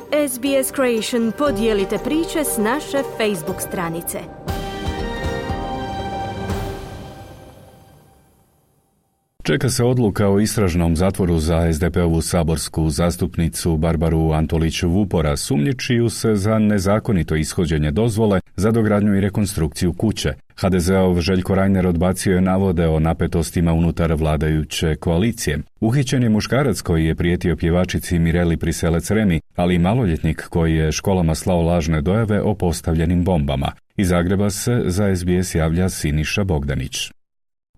SBS Creation podijelite priče s naše Facebook stranice. Čeka se odluka o istražnom zatvoru za SDP-ovu saborsku zastupnicu Barbaru Antolić-Vupora, sumnjičiju se za nezakonito ishođenje dozvole za dogradnju i rekonstrukciju kuće. HDZ-ov Željko Reiner odbacio je navode o napetostima unutar vladajuće koalicije. Uhićen je muškarac koji je prijetio pjevačici Mireli Priselec-Remi, ali i maloljetnik koji je školama slao lažne dojave o postavljenim bombama. Iz Zagreba se za SBS javlja Siniša Bogdanić.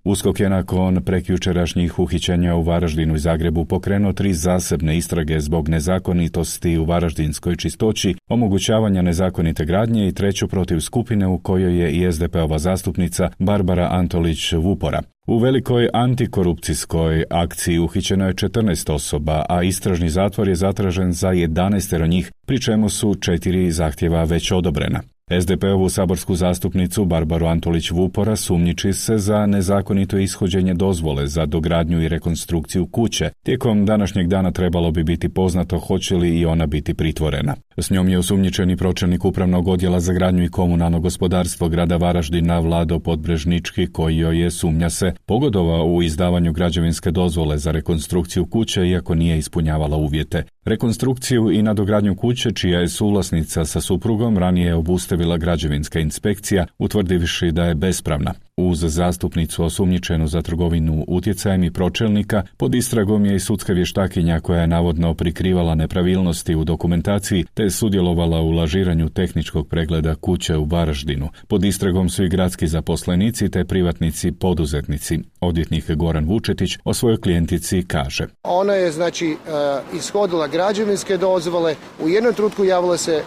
USKOK je nakon prekjučerašnjih uhićenja u Varaždinu i Zagrebu pokrenuo 3 zasebne istrage zbog nezakonitosti u varaždinskoj čistoći, omogućavanja nezakonite gradnje i 3. protiv skupine u kojoj je i SDP-ova zastupnica Barbara Antolić-Vupora. U velikoj antikorupcijskoj akciji uhićeno je 14 osoba, a istražni zatvor je zatražen za 11 njih, pri čemu su 4 zahtjeva već odobrena. SDP-ovu saborsku zastupnicu Barbaru Antolić-Vupora sumnjiči se za nezakonito ishođenje dozvole za dogradnju i rekonstrukciju kuće. Tijekom današnjeg dana trebalo bi biti poznato hoće li i ona biti pritvorena. S njom je osumnjičeni pročelnik Upravnog odjela za gradnju i komunalno gospodarstvo grada Varaždina Vlado Podbrežnički, koji joj je, sumnja se, pogodovao u izdavanju građevinske dozvole za rekonstrukciju kuće iako nije ispunjavala uvjete. Rekonstrukciju i nadogradnju kuće, čija je suvlasnica sa suprugom, ranije je obustavila građevinska inspekcija, utvrdivši da je bespravna. Uz zastupnicu osumnjičenu za trgovinu utjecajem i pročelnika, pod istragom je i sudska vještakinja koja je navodno prikrivala nepravilnosti u dokumentaciji te sudjelovala u lažiranju tehničkog pregleda kuće u Varaždinu. Pod istragom su i gradski zaposlenici te privatnici poduzetnici. Odvjetnik Goran Vučetić o svojoj klijentici kaže: Ona je ishodila građevinske dozvole, u jednom trenutku javila se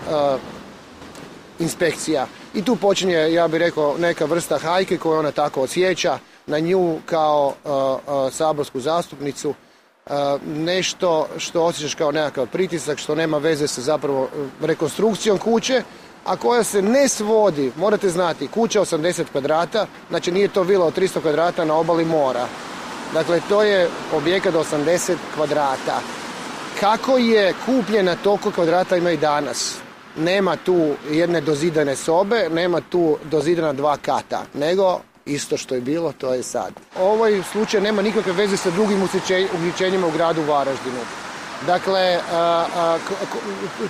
inspekcija. I tu počinje, ja bih rekao, neka vrsta hajke koju ona tako osjeća na nju kao saborsku zastupnicu. Nešto što osjećaš kao nekakav pritisak, što nema veze sa zapravo rekonstrukcijom kuće, a koja se ne svodi, morate znati, kuća 80 kvadrata, znači nije to vila od 300 kvadrata na obali mora. Dakle, to je objekat 80 kvadrata. Kako je kupljena toliko kvadrata ima i danas? Nema tu jedne dozidane sobe, nema tu dozidana 2 kata, nego isto što je bilo, to je sad. Ovaj slučaj nema nikakve veze sa drugim uhićenjima u gradu Varaždinu. Dakle,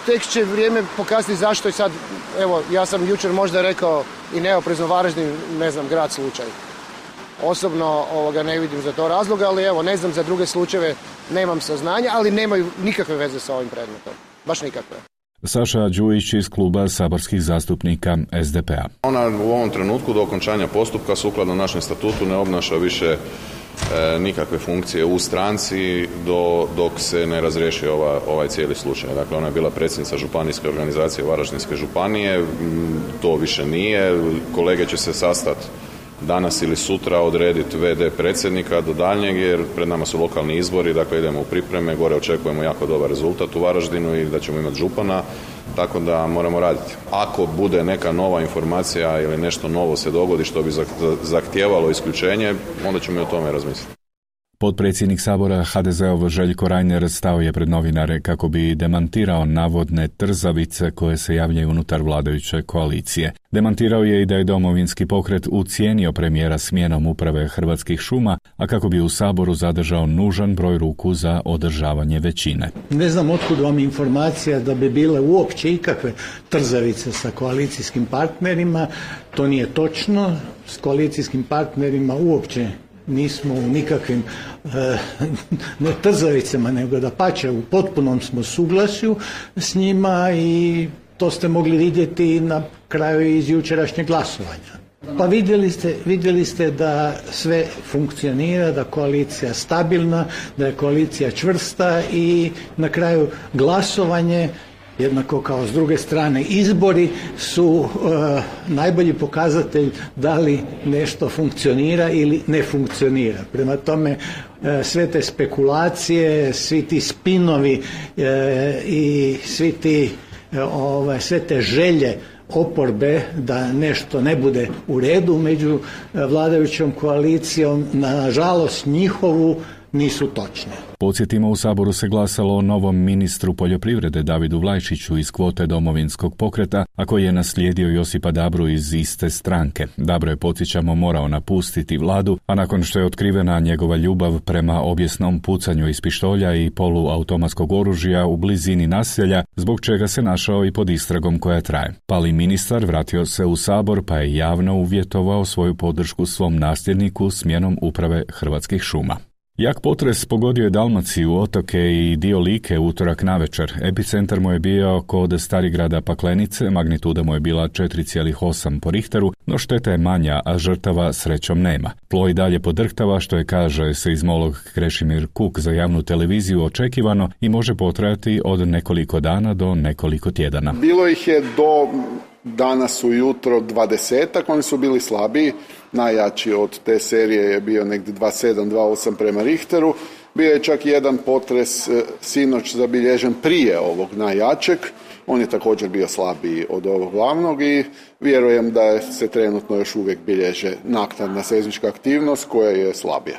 tek će vrijeme pokazati zašto je sad, evo, ja sam jučer možda rekao i neoprezno Varaždin, ne znam, grad slučaj. Osobno ne vidim za to razloga, ali evo, ne znam za druge slučajeve, nemam saznanja, ali nemaju nikakve veze sa ovim predmetom. Baš nikakve. Saša Đujić iz kluba saborskih zastupnika SDP-a. Ona u ovom trenutku do okončanja postupka sukladno našem statutu ne obnaša više nikakve funkcije u stranci dok se ne razriješi ovaj cijeli slučaj. Dakle, ona je bila predsjednica županijske organizacije Varaždinske županije, to više nije. Kolege će se sastati danas ili sutra, odrediti VD predsjednika do daljnjeg, jer pred nama su lokalni izbori, dakle idemo u pripreme, gore očekujemo jako dobar rezultat u Varaždinu i da ćemo imati župana, tako da moramo raditi. Ako bude neka nova informacija ili nešto novo se dogodi što bi zahtijevalo isključenje, onda ćemo i o tome razmisliti. Potpredsjednik Sabora HDZ-ov Željko Reiner stao je pred novinare kako bi demantirao navodne trzavice koje se javljaju unutar vladajuće koalicije. Demantirao je i da je Domovinski pokret ucijenio premijera smjenom uprave Hrvatskih šuma, a kako bi u Saboru zadržao nužan broj ruku za održavanje većine. Ne znam otkud vam informacija da bi bile uopće ikakve trzavice sa koalicijskim partnerima. To nije točno. S koalicijskim partnerima uopće nismo u nikakvim ne trzavicama, nego dapače u potpunom smo suglasju s njima i to ste mogli vidjeti na kraju iz jučerašnjeg glasovanja. Pa vidjeli ste da sve funkcionira, da koalicija stabilna, da je koalicija čvrsta i na kraju glasovanje, jednako kao s druge strane izbori, su najbolji pokazatelj da li nešto funkcionira ili ne funkcionira. Prema tome, sve te spekulacije, svi ti spinovi i sve te želje oporbe da nešto ne bude u redu među vladajućom koalicijom, nažalost njihovu nisu točne. Podsjetimo, u Saboru se glasalo o novom ministru poljoprivrede Davidu Vlajčiću iz kvote Domovinskog pokreta, a koji je naslijedio Josipa Dabru iz iste stranke. Dabro je, podsjećamo, morao napustiti vladu, a nakon što je otkrivena njegova ljubav prema obijesnom pucanju iz pištolja i poluautomatskog oružja u blizini naselja, zbog čega se našao i pod istragom koja traje. Pali ministar vratio se u Sabor pa je javno uvjetovao svoju podršku svom nasljedniku smjenom uprave Hrvatskih šuma. Jak potres pogodio je Dalmaciju, otoke i dio Like utorak navečer. Epicentar mu je bio kod Starigrada Paklenice, magnituda mu je bila 4,8 po Richteru, no šteta je manja, a žrtava srećom nema. Tlo i dalje podrhtava, što je, kaže seizmolog Krešimir Kuk za javnu televiziju, očekivano i može potrajati od nekoliko dana do nekoliko tjedana. Bilo ih je do danas ujutro 20-ak, oni su bili slabiji. Najjači od te serije je bio negdje 2,7, 2,8 prema Richteru. Bio je čak jedan potres sinoć zabilježen prije ovog najjačeg. On je također bio slabiji od ovog glavnog i vjerujem da se trenutno još uvijek bilježe naknadna seizmička aktivnost koja je slabija.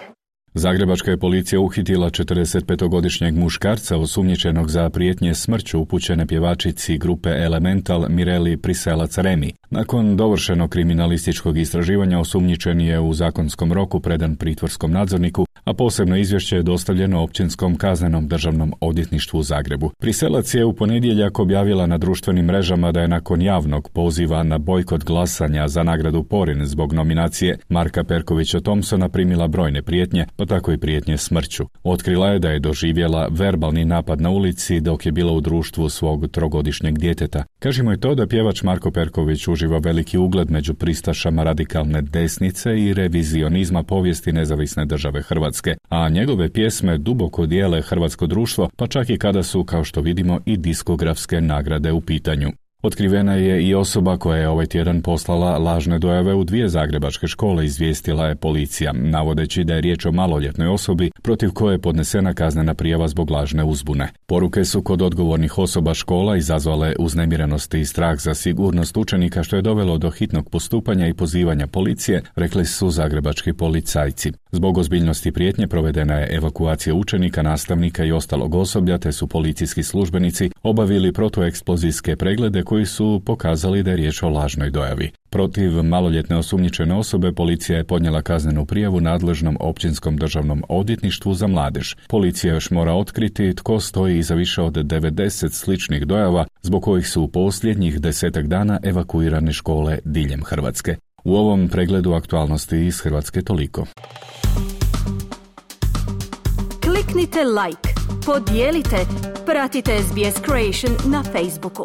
Zagrebačka je policija uhitila 45-godišnjeg muškarca osumnjičenog za prijetnje smrću upućene pjevačici grupe Elemental Mireli Priselac-Remi. Nakon dovršenog kriminalističkog istraživanja osumnjičen je u zakonskom roku predan pritvorskom nadzorniku, a posebno izvješće je dostavljeno Općinskom kaznenom državnom odvjetništvu u Zagrebu. Priselac je u ponedjeljak objavila na društvenim mrežama da je nakon javnog poziva na bojkot glasanja za nagradu Porin zbog nominacije Marka Perkovića Thompsona primila brojne prijetnje, pa tako i prijetnje smrću. Otkrila je da je doživjela verbalni napad na ulici dok je bila u društvu svog 3-godišnjeg djeteta. Kažemo i to da pjevač Marko Perković uživa veliki ugled među pristašama radikalne desnice i revizionizma povijesti nezavisne države Hrvatske, a njegove pjesme duboko dijele hrvatsko društvo, pa čak i kada su, kao što vidimo, i diskografske nagrade u pitanju. Otkrivena je i osoba koja je ovaj tjedan poslala lažne dojave u 2 zagrebačke škole, izvijestila je policija, navodeći da je riječ o maloljetnoj osobi protiv koje je podnesena kaznena prijava zbog lažne uzbune. Poruke su kod odgovornih osoba škola izazvale uznemirenost i strah za sigurnost učenika, što je dovelo do hitnog postupanja i pozivanja policije, rekli su zagrebački policajci. Zbog ozbiljnosti prijetnje provedena je evakuacija učenika, nastavnika i ostalog osoblja, te su policijski službenici obavili protueksplozijske preglede koji su pokazali da je riječ o lažnoj dojavi. Protiv maloljetne osumnjičene osobe policija je podnijela kaznenu prijavu nadležnom Općinskom državnom odvjetništvu za mladež. Policija još mora otkriti tko stoji iza više od 90 sličnih dojava, zbog kojih su u posljednjih 10 dana evakuirane škole diljem Hrvatske. U ovom pregledu aktualnosti iz Hrvatske toliko. Kliknite like, podijelite, pratite SBS Creation na Facebooku.